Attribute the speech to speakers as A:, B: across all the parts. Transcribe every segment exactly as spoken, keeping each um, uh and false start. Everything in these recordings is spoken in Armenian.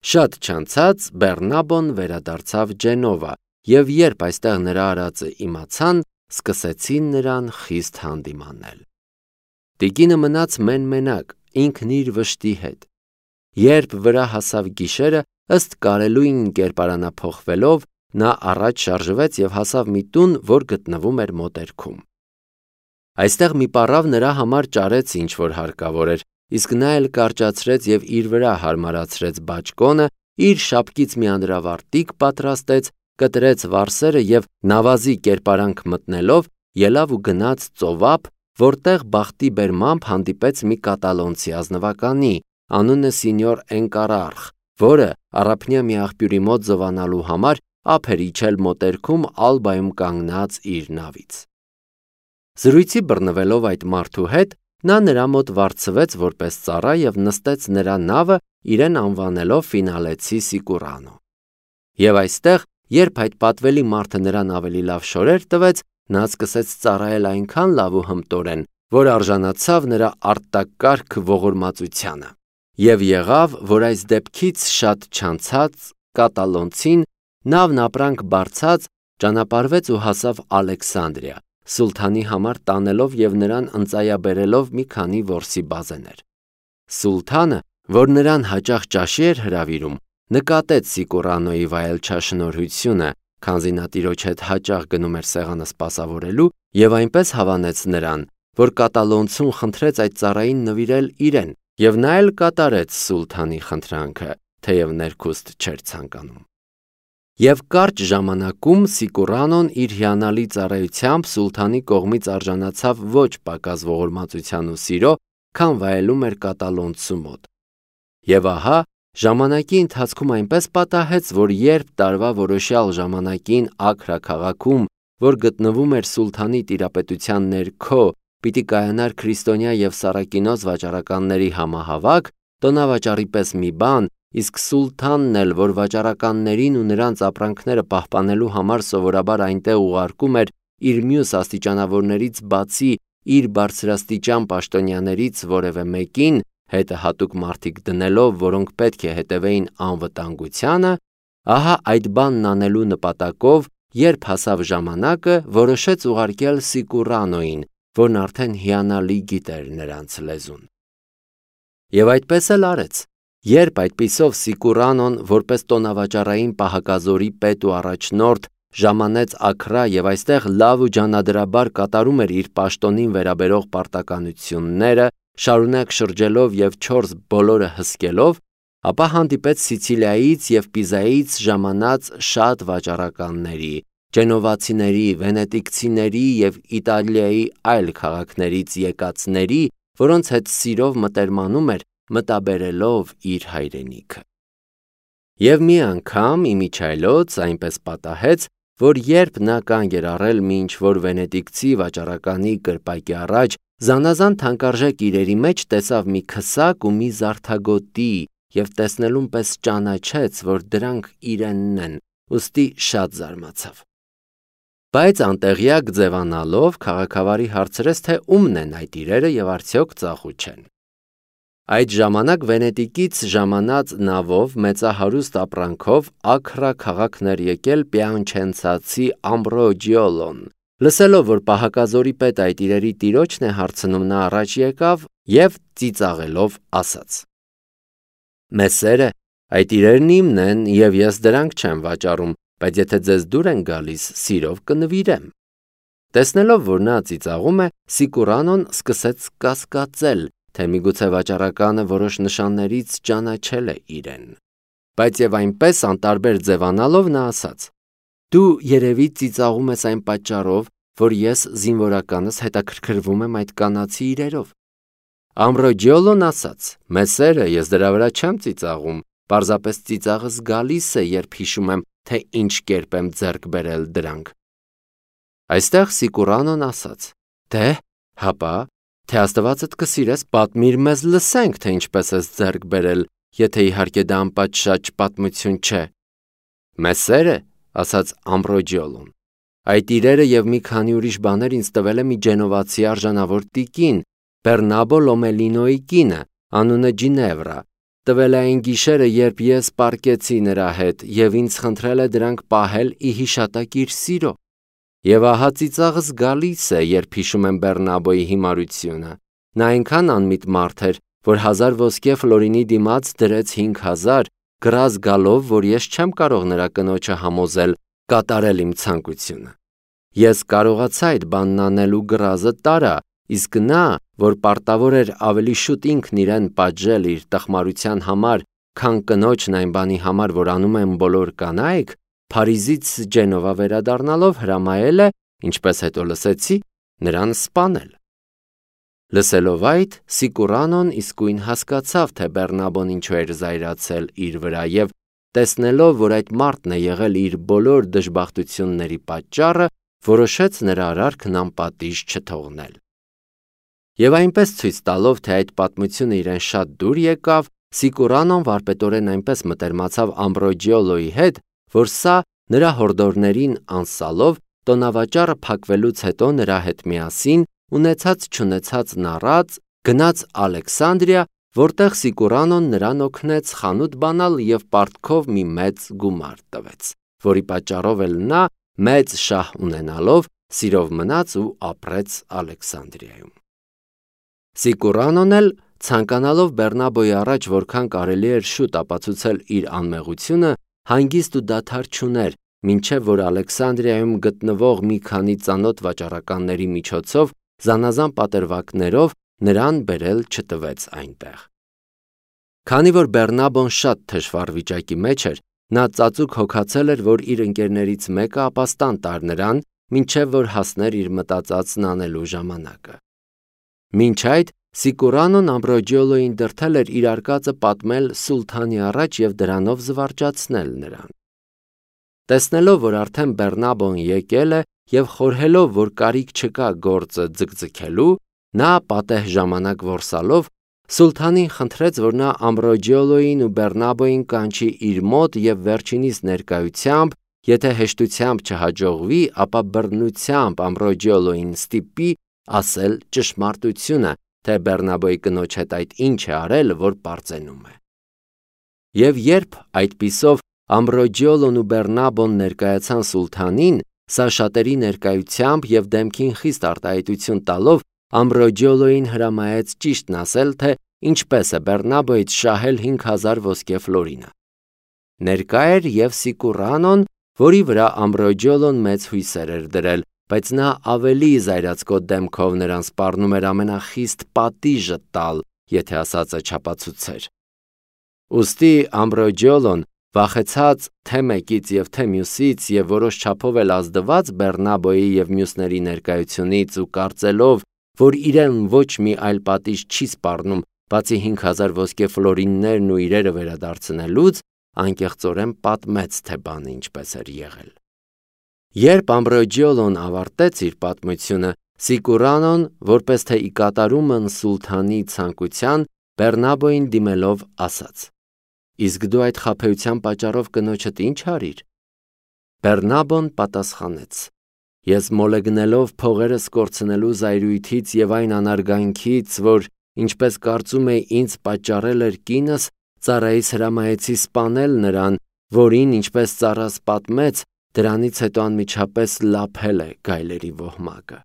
A: Շատ չանցած Բեռնաբոն վերադարձավ Ջենովա, եւ երբ այստեղ նրա արածը իմացան, սկսեցին նրան խիստ հանդիմանել։ Տիկինը մնաց մեն-մենակ, ինքն իր վշտի հետ։ Երբ վրա հասավ գիշերը, ըստ կարելույն կերպարանափոխվելով, նա առաջ շարժվեց եւ հասավ մի տուն, որ գտնվում էր մոտերքում։ Այստեղ մի պառավ նրա համար ճարեց ինչ որ հարկավոր էր, իսկ նա էլ կարճացրեց եւ իր վրա հարմարացրեց բաճկոնը, իր շապկից մի անդրավարտիկ պատրաստեց, կտրեց վարսերը եւ նավազի կերպարանք մտնելով ելավ ու գնաց ծովափ, որտեղ բախտի բերմամբ հանդիպեց մի կատալոնցի ազնվականի, անունը Սինյոր Էնկարարխ, որը առափնյա մի աղբյուրի մոտ զովանալու համար ափ էր իջել մոտերքում Ալբայում կանգնած իր նավից։ Զրույցի բռնվելով այդ մարդու հետ, նա նրա մոտ վարձվեց որպես ծառա եւ նստեց նրա նավը, իրեն անվանելով Ֆինալեցի Սիկուրանո։ Եվ այստեղ, երբ այդ պատվելի մարդը նրան ավելի լավ շորեր տվեց, նա սկսեց ծառայել այնքան լավ ու հմտորեն, որ արժանացավ նրա արտակարգ ողորմածությանը։ Եվ եղավ, որ այս դեպքից շատ չանցած կատալոնցին նավն ապրանք բարձած ճանապարհվեց ու հասավ Ալեքսանդրիա, սուլթանի համար տանելով եւ նրան ընծայաբերելով մի քանի որսի բազեներ։ Սուլթանը, որ նրան հաճախ ճաշի էր հրավիրում, նկատեց Սիկուրանոյի վայելչաշնորհությունը, քանզի նա տիրոջ հետ հաճախ գնում էր սեղանը սպասավորելու, եւ այնպես հավանեց նրան, որ կատալոնցուն խնդրեց այդ ծառային նվիրել իրեն, եւ նա էլ կատարեց սուլթանի խնդրանքը, թեև ներքուստ չէր ցանկանում։ Եվ կարճ ժամանակում Սիկուրանոն իր հիանալի ծառայությամբ սուլթանի կողմից արժանացավ ոչ պակաս ողորմածության ու սիրո, քան վայելում էր կատալոնցու մոտ։ Եվ ահա, ժամանակի ընթացքում այնպես պատահեց, որ երբ տարվա որոշյալ ժամանակին Աքրա քաղաքում, որ գտնվում էր սուլթանի տիրապետության ներքո, պիտի կայանար քրիստոնյա եւ սառակինոց վաճառականների համահավաք, տոնավաճառի պես մի բան, իսկ սուլթանն էլ, որ վաճառականներին ու նրանց ապրանքները պահպանելու համար սովորաբար այնտեղ ուղարկում էր իր մյուս աստիճանավորներից բացի իր բարձրաստիճան պաշտոնյաներից որևէ մեկին, հետը հատուկ մարդիկ դնելով, որոնք պետք է հետևեին անվտանգությանը, ահա այդ բանն անելու նպատակով, երբ հասավ ժամանակը, որոշեց ուղարկել Սիկուրանոյին, որն արդեն հիանալի գիտեր նրանց լեզուն։ Եվ այդպես էլ արեց։ Երբ այդպիսով Սիկուրանոն, որպես տոնավաճառային պահակազորի պետ ու առաջնորդ, ժամանեց Աքրա եւ այստեղ լավ ու ջանադրաբար կատարում էր իր պաշտոնին վերաբերող պարտականությունները, շարունակ շրջելով եւ չորս բոլորը հսկելով, ապա հանդիպեց Սիցիլիայից եւ Պիզայից ժամանած շատ վաճառականների, ջենովացիների, վենետիկցիների եւ Իտալիայի այլ քաղաքներից եկածների, որոնց հետ սիրով մտերմանում էր, մտաբերելով իր հայրենիքը։ Եվ մի անգամ իմիջայլոց այնպես պատահեց, որ երբ նա կանգ էր առել մի ինչ-որ վենետիկցի վաճառականի կրպակի առաջ, զանազան թանկարժեք իրերի մեջ տեսավ մի քսակ ու մի զարդագոտի եւ տեսնելուն պես ճանաչեց, որ դրանք իրենն են, ուստի շատ զարմացավ։ Բայց անտեղյակ ձևանալով քաղաքավարի հարցրեց, թե ումն են այդ իրերը եւ արդյոք ծախու չեն։ Այդ ժամանակ Վենետիկից ժամանած նավով մեծահարուստ ապրանքով Աքրա քաղաքն էր եկել պիանչենցացի Ամբրոջիոլոն։ Լսելով, որ պահակազորի պետ այդ իրերի տիրոջն է հարցնում, նա առաջ եկավ եւ ծիծաղելով ասաց. «Մեսերը, այդ իրերն իմն են եւ ես դրանք չեմ վաճառում, բայց եթե ձեզ դուր են գալիս, սիրով կնվիրեմ»։ Տեսնելով, որ նա ծիծաղում է, Սիկուրանոն սկսեց կասկածել, թե միգուցե վաճառականը որոշ նշաններից ճանաչել է իրեն։ Բայց եւ այնպես անտարբեր ձևանալով նա ասաց. «Դու երևի ծիծաղում ես այն պատճառով, որ ես զինվորականս հետաքրքրվում եմ այդ կանացի իրերով»։ Ամբրոջիոլոն ասաց. «Մեսերը, ես դրա վրա չեմ ծիծաղում, պարզապես ծիծաղս գալիս է, երբ հիշում եմ, թե ինչ կերպ եմ ձեռք բերել դրանք»։ Այստեղ Սիկուրանոն ասաց. «Դե, հապա, թե Աստվածդ կսիրես, պատմիր մեզ լսենք, թե ինչպես ես ձեռք բերել, եթե իհարկե դա անպատշաճ պատմություն չէ»։ «Մեսերը», ասաց Ամբրոջիոլոն, «այդ իրերը եւ մի քանի ուրիշ բաներ ինձ տվել է մի ջենովացի արժանավոր տիկին, Բեռնաբո Լոմելինոյի կինը, անունը Ջինևրա, տվել է այն գիշերը, երբ ես պառկեցի նրա հետ, և ինձ խնդրել է դրանք պահել ի հիշատակ իր սիրո։ Եվ ահա ծիծաղս գալիս է, երբ հիշում եմ Բեռնաբոյի հիմարությունը։ Նա այնքան անմիտ մարդ էր, որ հազար ոսկե ֆլորինի դիմաց դրեց հինգ հազար, գրազ գալով, որ ես չեմ կարող նրա կնոջը համոզել կատարել իմ ցանկությունը։ Ես կարողացա այդ բանն անել ու գրազը տարա, իսկ նա, որ պարտավոր էր ավելի շուտ ինքն իրեն պատժել իր տխմարության համար, քան կնոջն այն բանի համար, որ անում են բոլոր կանայք, Փարիզից Ջենովա վերադառնալով հրամայել է, ինչպես հետո լսեցի, նրան սպանել։ Լսելով այդ, Սիկուրանոն իսկույն հասկացավ, թե Բեռնաբոն ինչու էր զայրացել իր վրա, և տեսնելով, որ այդ մարդն է եղել իր բոլոր դժբախտությունների պատճառը, որոշեց նրա արարքն անպատիժ չթողնել։ Եվ այնպես ցույց տալով, թե այդ պատմությունը իրեն շատ դուր եկավ, Սիկուրանոն վարպետորեն այնպես մտերմացավ Ամբրոջիոլոյի հետ, որ սա նրա հորդորներին անսալով, տոնավաճառը փակվելուց հետո նրա հետ միասին, ունեցած-չունեցածն առած, գնաց Ալեքսանդրիա, որտեղ Սիկուրանոն նրան օգնեց խանութ բանալ և պարտքով մի մեծ գումար տվեց, որի պատճառով էլ նա, մեծ շահ ունենալով, սիրով մնաց ու ապրեց Ալեքսանդրիայում։ Սիկուրանոն էլ, ցանկանալով Բեռնաբոյի առաջ որքան կարելի էր շուտ ապացուցել իր անմեղությունը, հանգիստ ու դադար չուներ, մինչև որ Ալեքսանդրիայում գտնվող մի քանի ծանոթ վաճառականների միջոցով զանազան պատրվակներով նրան բերել չտվեց այնտեղ։ Քանի որ Բեռնաբոն շատ թշվառ վիճակի մեջ էր, նա ծածուկ հոգացել էր, որ իր ընկերներից մեկը ապաստան տար նրան, մինչև որ հասներ իր մտածածն անելու ժամանակը։ Մինչ այդ Սիկուրանոն Ամբրոջիոլոյին դրդել էր իր արկածը պատմել սուլթանի առաջ և դրանով զվարճացնել նրան։ Տեսնելով, որ արդեն Բեռնաբոն եկել է և խորհելով, որ կարիք չկա գործը ձգձգելու, նա պատեհ ժամանակ որսալով սուլթանին խնդրեց, որ նա Ամբրոջիոլոյին ու Բեռնաբոյին կանչի իր մոտ և վերջինիս ներկայությամբ, եթե հեշտությամբ չհաջողվի, ապա բռնությամբ Ամբրոջիոլոյին ստիպի ասել ճշմարտությունը, թե Բեռնաբոյի կնոջ հետ այդ ինչ է արել, որ պարծենում է։ Եվ երբ այդպիսով Ամբրոջիոլոն ու Բեռնաբոն ներկայացան սուլթանին, սա շատերի ներկայությամբ և դեմքին խիստ արտահայտություն տալով Ամբրոջիոլոյին հրամայեց ճիշտն ասել, թե ինչպես է Բեռնաբոյից շահել հինգ հազար ոսկե ֆլորինը։ Ներկա էր և Սիկուրանոն, որի վրա Ամբրոջիոլոն մեծ հույսեր էր դրել, բայց նա ավելի զայրացկոտ դեմքով նրան սպառնում էր ամենախիստ պատիժը տալ, եթե ասածը չապացուցեր։ Ուստի Ամբրոջիոլոն, վախեցած թե մեկից և թե մյուսից և որոշ չափով էլ ազդված Բեռնաբոյի և մյուսների ներկայությունից ու կարծելով, որ իրեն ոչ մի այլ պատիժ չի սպառնում, բացի հինգ հազար ոսկե ֆլորիններն ու իրերը վերադարձնելուց, անկեղծորեն պատմեց, թե բանը ինչպես էր եղել։ Երբ Ամբրոջիոլոն ավարտեց իր պատմությունը, Սիկուրանոն, որպես թե ի կատարումն սուլթանի ցանկության, Բեռնաբոյին դիմելով ասաց. «Իսկ դու այդ խաբեության պատճառով կնոջդ ինչ արիր»։ Բեռնաբոն պատասխանեց. «Ես մոլեգնելով փողերս կորցնելու զայրույթից և այն անարգանքից, որ, ինչպես կարծում էի, ինձ պատճառել էր կինս, ծառայիս հրամայեցի սպանել նրան, որին, ինչպես ծառաս պատմեց, դրանից հետո անմիջապես լափել է գայլերի ոհմակը»։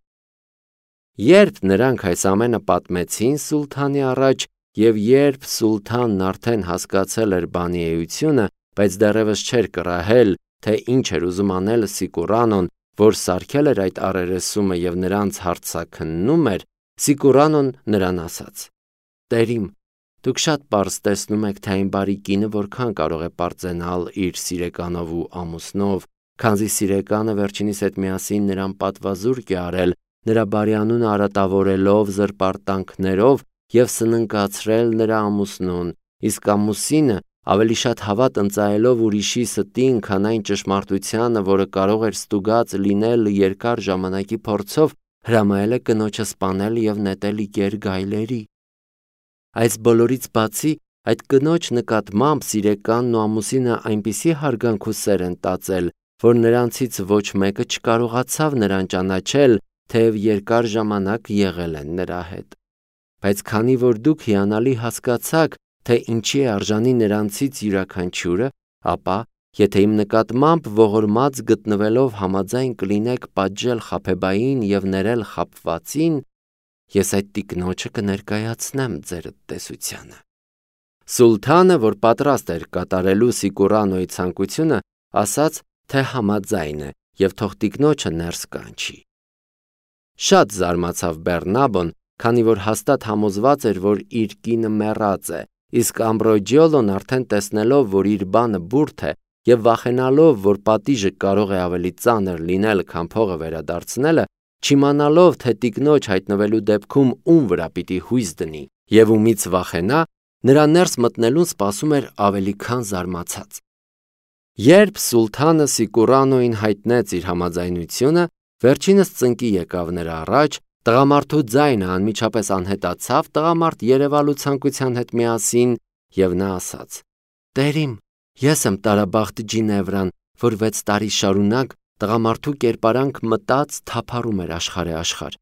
A: Երբ նրանք այս ամենը պատմեցին սուլթանի առաջ, և երբ սուլթանն արդեն հասկացել էր բանի էությունը, բայց դեռևս չէր կռահել, թե ինչ էր ուզում անել Սիկուրանոն, որ սարքել էր այդ առերեսումը և նրանց հարցաքննում էր, Սիկուրանոն նրան ասաց. «Տեր իմ, դուք շատ պարզ տեսնում եք, թե այն բարի կինը որքան կարող է պարծենալ իր սիրեկանով ու ամուսնով, քանզի սիրեկանը վերջինիս հետ միասին նրան պատվազուրկ է արել, նրա բարի անունը արատավորելով զրպարտանքներով և սննկացրել նրա ամուսնուն, իսկ ամուսինը ավելի շատ հավատ ընծայելով ուրիշի ստին, քան այն ճշմարտությանը, որը կարող էր ստուգած լինել երկար ժամանակի փորձով, հրամայել է կնոջը սպանել և նետել ի կեր գայլերի։ Այս բոլորից բացի, այդ կնոջ նկատմամբ սիրեկանն ու ամուսինը այնպիսի հարգանք ու սեր են տածել, որ նրանցից ոչ մեկը չկարողացավ նրան ճանաչել, թեև երկար ժամանակ եղել են նրա հետ։ Բայց քանի որ դուք հիանալի հասկացաք, թե ինչի է արժանի նրանցից յուրաքանչյուրը, ապա, եթե իմ նկատմամբ ողորմած գտնվելով համաձայն կլինեք պատժել խաբեբային և ներել խաբվածին, ես այդ տիկնոջը կներկայացնեմ ձեր տեսությանը։ Սուլթանը, որ պատրաստ էր կատարելու Սիկուրանոյի ցանկությունը, ասաց, թե համաձայն է և թող տիկնոջը ներս կանչի։ Շատ զարմացավ Բեռնաբոն, քանի որ հաստատ համոզված էր, որ իր կինը մեռած է, իսկ Ամբրոջիոլոն արդեն տեսնելով, որ իր բանը բուրդ է և վախենալով, որ պատիժը կարող է ավելի ծանր լինել, քան փողը վերադարձնելը, չիմանալով, թե տիկնոջ հայտնվելու դեպքում ում վրա պիտի հույս դնի և ումից վախենա, նրա ներս մտնելուն սպասում էր ավելի քան զարմացած։ Երբ Սուլթանը Սիկուրանոյին հայտնեց իր համաձայնությունը, վերջինս ծնկի եկավ նրա առաջ, տղամարդու ձայնը անմիջապես անհետացավ տղամարդ երևալու ցանկության հետ միասին, և նա ասաց. «Տեր իմ, ես եմ տարաբախտ Ջինևրան, որ վեց տարի շարունակ տղամարդու կերպարանք մտած թափառում էր աշխարհե աշխարհ։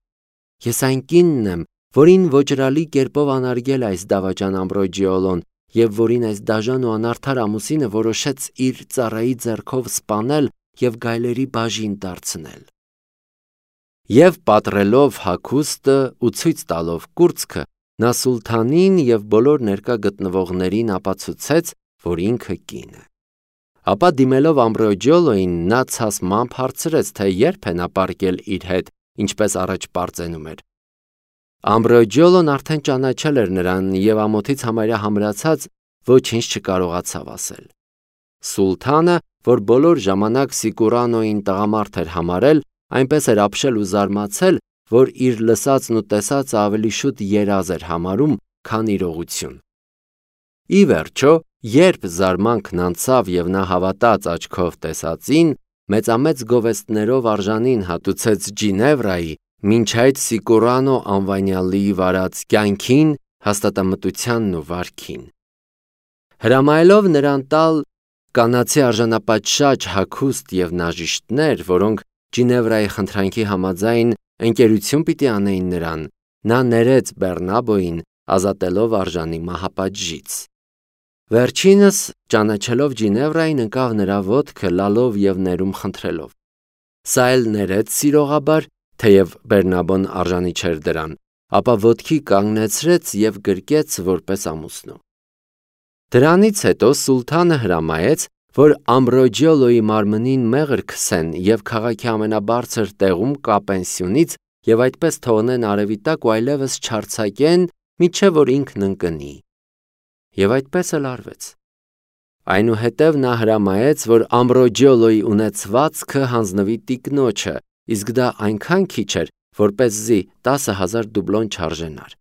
A: Ես այն կինն եմ, որին ոճրալի կերպով անարգել է այս դավաճան Ամբրոջիոլոն և որին այս դաժան ու անարդար ամուսինը որոշեց իր ծառայի ձեռքով սպանել և գայլերի բաժին դարձնել»։ Եվ պատռելով հագուստը ու ցույց տալով կուրծքը, նա Սուլթանին և բոլոր ներկա գտնվողներին ապացուցեց, որ ինքը կին է։ Ապա դիմելով Ամբրոջիոլոյին, նա ցասմամբ հարցրեց, թե երբ է նա պառկել իր հետ, ինչպես առաջ պարծենում էր։ Ամբրոջիոլոն արդեն ճանաչել էր նրան և ամոթից համարյա համրացած ոչինչ չկարողացավ ասել։ Սուլթանը, որ բոլոր ժամանակ Սիկուրանոյին տղամարդ էր համարել, այնպես էր ապշել ու զարմացել, որ իր լսածն ու տեսածը ավելի շուտ երազ էր համարում, քան իրողություն։ Ի վերջո, երբ զարմանքն անցավ և նա հավատաց աչքով տեսածին, մեծամեծ գովեստներով արժանին հատուցեց Ջինևրայի, մինչ այդ Սիկուրանո անվանյալի վարած կյանքին, հաստատամտությանն ու վարքին։ Հրամայելով նրան տալ կանացի արժանապատշաճ հագուստ և նաժիշտներ, որոնք Ջինևրայի խնդրանքի համաձայն ընկերություն պիտի անեին նրան, նա ներեց Բեռնաբոյին, ազատելով արժանի մահապատժից։ Վերջինս, ճանաչելով Ջինևրային, ընկավ նրա ոտքը լալով և ներում խնդրելով։ Սա էլ ներեց սիրողաբար, թեև Բեռնաբոն արժանի չէր դրան, ապա ոտքի կանգնեցրեց և գրկեց որպես ամուսնու։ Դրանից հետո Սուլթանը հրամայեց, որ Ամբրոջիոլոյի մարմնին մեղր քսեն և քաղաքի ամենաբարձր տեղում կապեն սյունից և այդպես թողնեն արևի տակ ու այլևս չարձակեն, մինչև որ ինքն ընկնի։ Եվ այդպես էլ արվեց։ Այնուհետև նա հրամայեց, որ Ամբրոջիոլոյի ունեցվածքը հանձնվի տիկնոջը, իսկ դա այնքան քիչ էր, որպեսզի տասը հազար դուբլոն չարժենար։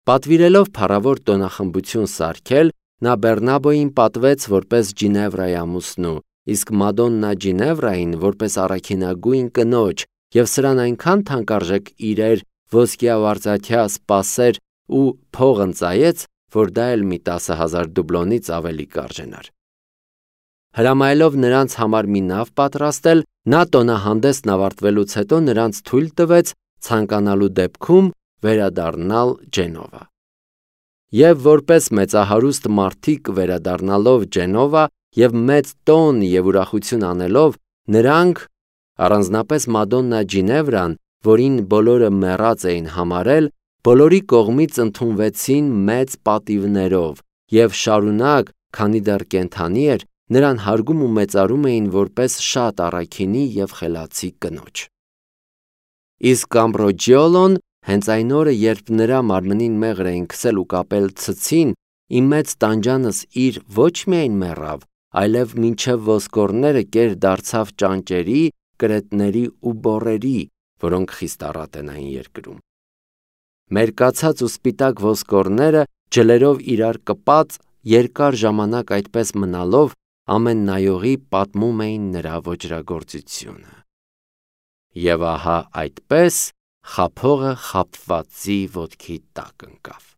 A: Պատվիրելով փառավոր տոնախմբություն սարքել, նա Բեռնաբոյին պատվեց որպես Ջինևրայի ամուսնու, իսկ Մադոննա Ջինևրային որպես առաքինագույն կնոջ, և սրան այնքան թանկարժեք իրեր, ոսկյա ու արծաթյա սպասեր ու փող ընծայեց, որ դա էլ մի տասը հազար դուբլոնից ավելի կարժենար։ Հրամայելով նրանց համար մի նավ պատրաստել, նա տոնահանդեսն ավարտվելուց հետո նրանց թույլ տվեց ցանկանալու դեպքում վերադառնալ Ջենովա։ Եվ որպես մեծահարուստ մարդիկ վերադառնալով Ջենովա և մեծ տոն և ուրախություն անելով, նրանք, առանձնապես Մադոննա Ջինևրան, որին բոլորը մեռած էին համարել, բոլորի կողմից ընդունվեցին մեծ պատիվներով և շարունակ, քանի դեռ կենդանի էր, նրան հարգում ու մեծարում էին որպես շատ առաքինի և խելացի կնոջ։ Իսկ Ամբրոջիոլոն հենց այն օրը, երբ նրա մարմնին մեղր էին քսել ու կապել ցցին, իմ մեծ տանջանս իր ոչ միայն մեռավ, այլև մինչև ոսկորները կեր դարձավ ճանճերի, կրետների ու բոռերի, որոնք խիստ առատ են այն երկրում։ Մերկացած ու սպիտակ ոսկորները ջլերով իրար կպած, երկար ժամանակ այդպես մնալով, ամեն նայողի պատմում էին նրա ոճրագործությունը։ Եվ ահա այդպես խաբողը խաբվածի ոտքի տակ ընկավ։